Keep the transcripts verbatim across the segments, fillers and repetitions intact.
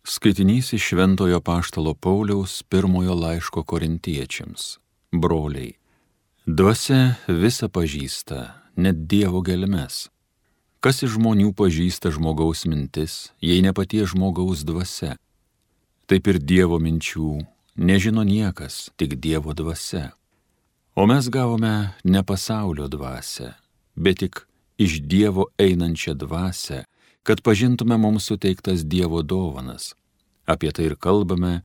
Skaitinys iš Šventojo Apaštalo Pauliaus pirmojo laiško Korintiečiams. Broliai, dvasia visa pažįsta, net Dievo gelmes. Kas iš žmonių pažįsta žmogaus mintis, jei ne paties žmogaus dvasia? Taip ir Dievo minčių nežino niekas, tik Dievo dvasia. O mes gavome ne pasaulio dvasią, bet tik iš Dievo einančią dvasią, kad pažintume mums suteiktas Dievo dovanas. Apie tai ir kalbame,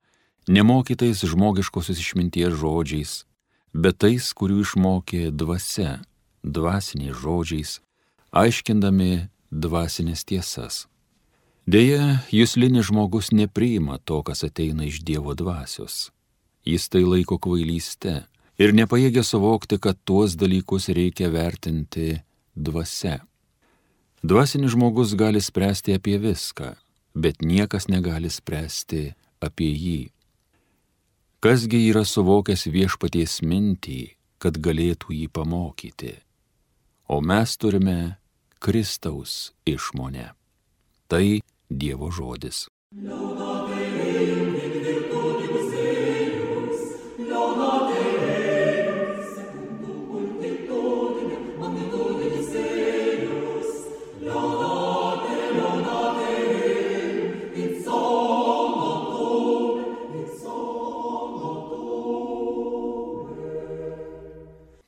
nemokytais žmogiškosios išminties žodžiais, bet tais, kurių išmokė dvasia, dvasiniais žodžiais, aiškindami dvasinės tiesas. Deja, juslinis žmogus nepriima to, kas ateina iš Dievo dvasios. Jis tai laiko kvailyste ir nepajėgia suvokti, kad tuos dalykus reikia vertinti dvasia. Dvasinis žmogus gali spręsti apie viską, bet niekas negali spręsti apie jį. Kasgi yra suvokęs viešpaties mintį, kad galėtų jį pamokyti? O mes turime Kristaus išmonę. Tai Dievo žodis.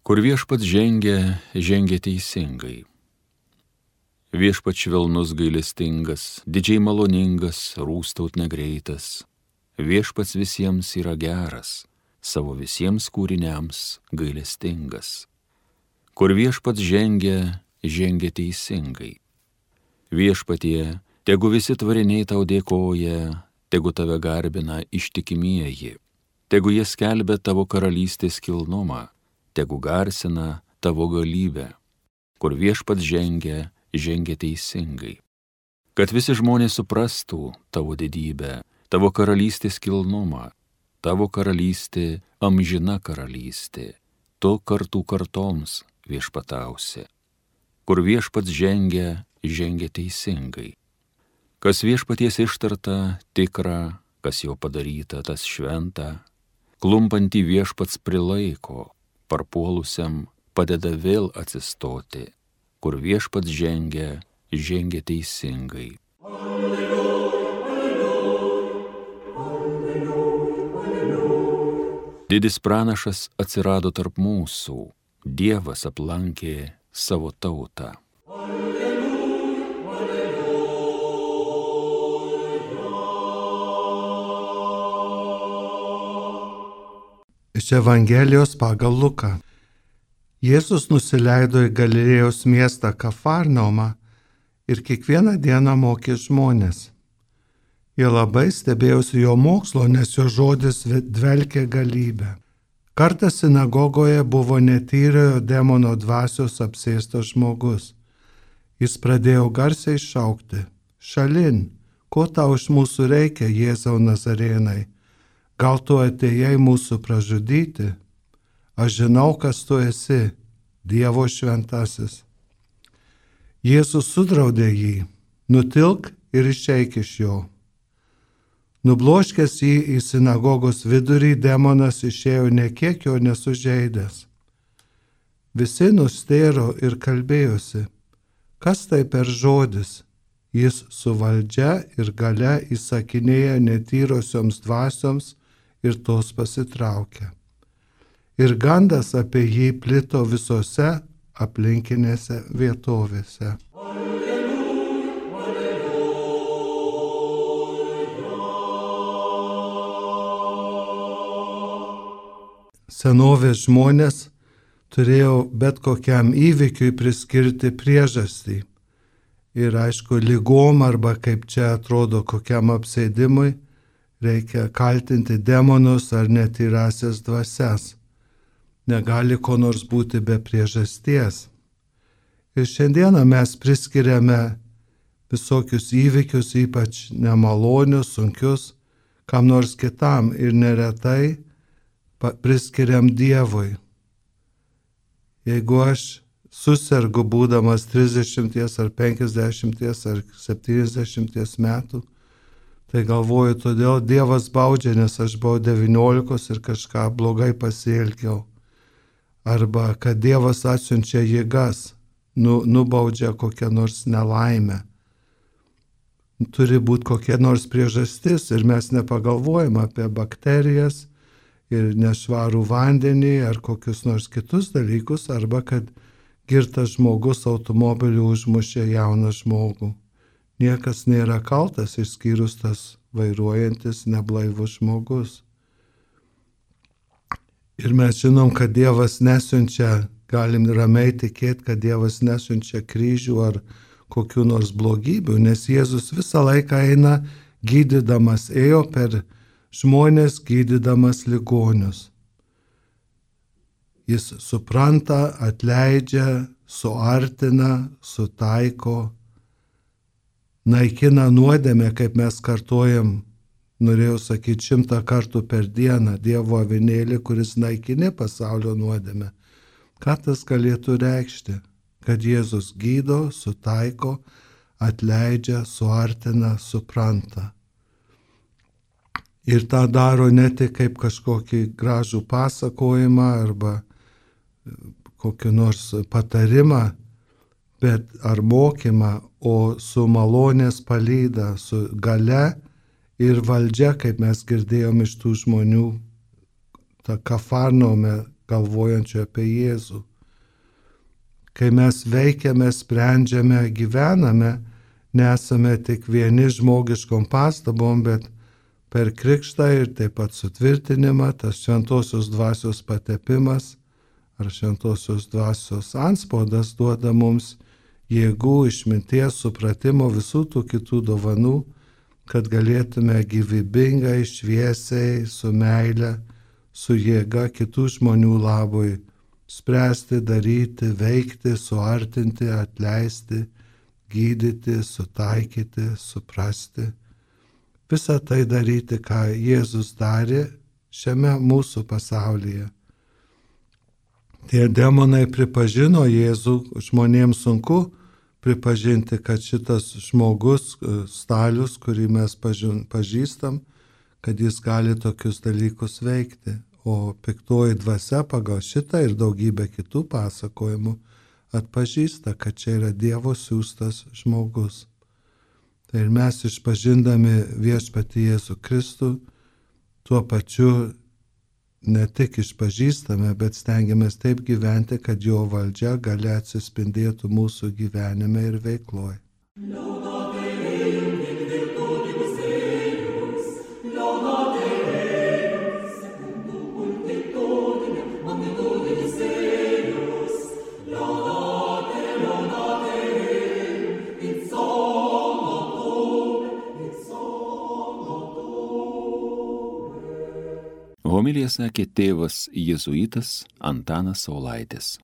Kur viešpats žengia, žengia teisingai. Viešpats švelnus gailestingas, didžiai maloningas, rūstaut negreitas. Viešpats visiems yra geras, savo visiems kūriniams gailestingas. Kur viešpats žengia, žengia teisingai. Viešpatie, tegu visi tvariniai tau dėkoja, tegu tave garbina ištikimieji, tegu jie skelbia tavo karalystės kilnumą, tegu garsina tavo galybę. Kur viešpats žengia, žengia teisingai. Kad visi žmonės suprastų tavo didybę, tavo karalystės kilnumą, tavo karalystė amžina karalystė, tu kartų kartoms viešpatausi. Kur viešpats žengia, žengia teisingai. Kas viešpaties ištarta, tikra, kas jau padaryta, tas šventa, klumpantį viešpats prilaiko, parpuolusiam padeda vėl atsistoti. Kur viešpats žengia, žengia teisingai. Alleluja, alleluja, alleluja, alleluja. Didis pranašas atsirado tarp mūsų, Dievas aplankė savo tautą. Alleluja, alleluja. Iš Evangelijos pagal Luką. Jėzus nusileido į Galilėjos miestą Kafarnaumą ir kiekvieną dieną mokė žmonės. Jie labai stebėjosi jo mokslo, nes jo žodis dvelkė galybę. Kartą sinagogoje buvo netyriojo demono dvasios apsėstas žmogus. Jis pradėjo garsiai šaukti: šalin, ko tau iš mūsų reikia, Jėzau Nazarėnai? Gal tu atėjai mūsų pražudyti? Aš žinau, kas tu esi, Dievo šventasis. Jėzus sudraudė jį: nutilk ir išeik iš jo. Nubloškęs jį į sinagogos vidurį, demonas išėjo nė kiek jo nesužeidęs. Visi nustėro ir kalbėjosi: kas tai per žodis? Jis su valdžia ir galia įsakinėja netyrosioms dvasioms ir tos pasitraukia. Ir gandas apie jį plito visose aplinkinėse vietovėse. Alleluja, alleluja. Senovės žmonės turėjo bet kokiam įvykiui priskirti priežastį. Ir aišku, lygom arba kaip čia atrodo kokiam apsėdimui, reikia kaltinti demonus ar netyrasias dvasias. Negali ko nors būti be priežasties. Ir šiandieną mes priskiriame visokius įvykius, ypač nemalonius, sunkius, kam nors kitam ir neretai priskiriam Dievui. Jeigu aš susergu būdamas trisdešimties ar penkiasdešimties ar septyniasdešimties metų, Tai galvoju, todėl Dievas baudžia, nes aš buvau devyniolikos ir kažką blogai pasielgiau. Arba kad Dievas atsiunčia jėgas, nu, nubaudžia kokią nors nelaimę. Turi būti kokia nors priežastis ir mes nepagalvojam apie bakterijas ir nešvarų vandenį ar kokius nors kitus dalykus, arba kad girtas žmogus automobiliu užmušė jauną žmogų. Niekas nėra kaltas išskyrus tas vairuojantis neblaivus žmogus. Ir mes žinom, kad Dievas nesiunčia, galim ramiai tikėti, kad Dievas nesiunčia kryžių ar kokių nors blogybių, nes Jėzus visą laiką eina gydydamas, ėjo per žmonės gydydamas ligonius. Jis supranta, atleidžia, suartina, sutaiko, naikina nuodėmę, kaip mes kartojam, norėjau sakyti, šimtą kartų per dieną, Dievo avinėlį, kuris naikini pasaulio nuodėmę. Ką tas galėtų reikšti? Kad Jėzus gydo, sutaiko, atleidžia, suartina, supranta. Ir tą daro ne tik kaip kažkokį gražų pasakojimą arba kokį nors patarimą, bet ar mokymą, o su malonės palyda, su gale ir valdžia, kaip mes girdėjom iš tų žmonių, tą Kafarnaume galvojančių apie Jėzų. Kai mes veikiame, sprendžiame, gyvename, nesame tik vieni žmogiškom pastabom, bet per krikštą ir taip pat sutvirtinimą, tas šventosios dvasios patepimas ar šventosios dvasios antspaudas duoda mums jėgų, išminties, supratimo, visų tų kitų dovanų, kad galėtume gyvybingai, šviesiai, su meile, su jėga kitų žmonių labui spręsti, daryti, veikti, suartinti, atleisti, gydyti, sutaikyti, suprasti. Visą tai daryti, ką Jėzus darė šiame mūsų pasaulyje. Tie demonai pripažino Jėzų, žmonėms sunku pripažinti, kad šitas žmogus, Stalius, kurį mes pažįstam, kad jis gali tokius dalykus veikti. O piktoji dvasia pagal šitą ir daugybę kitų pasakojimų atpažįsta, kad čia yra Dievo siųstas žmogus. Tai ir mes išpažindami viešpatį Jėzų Kristų, tuo pačiu ne tik išpažįstame, bet stengiamės taip gyventi, kad jo valdžia gali atsispindėtų mūsų gyvenime ir veikloje. Homiliją sakė tėvas jėzuitas Antanas Saulaitis.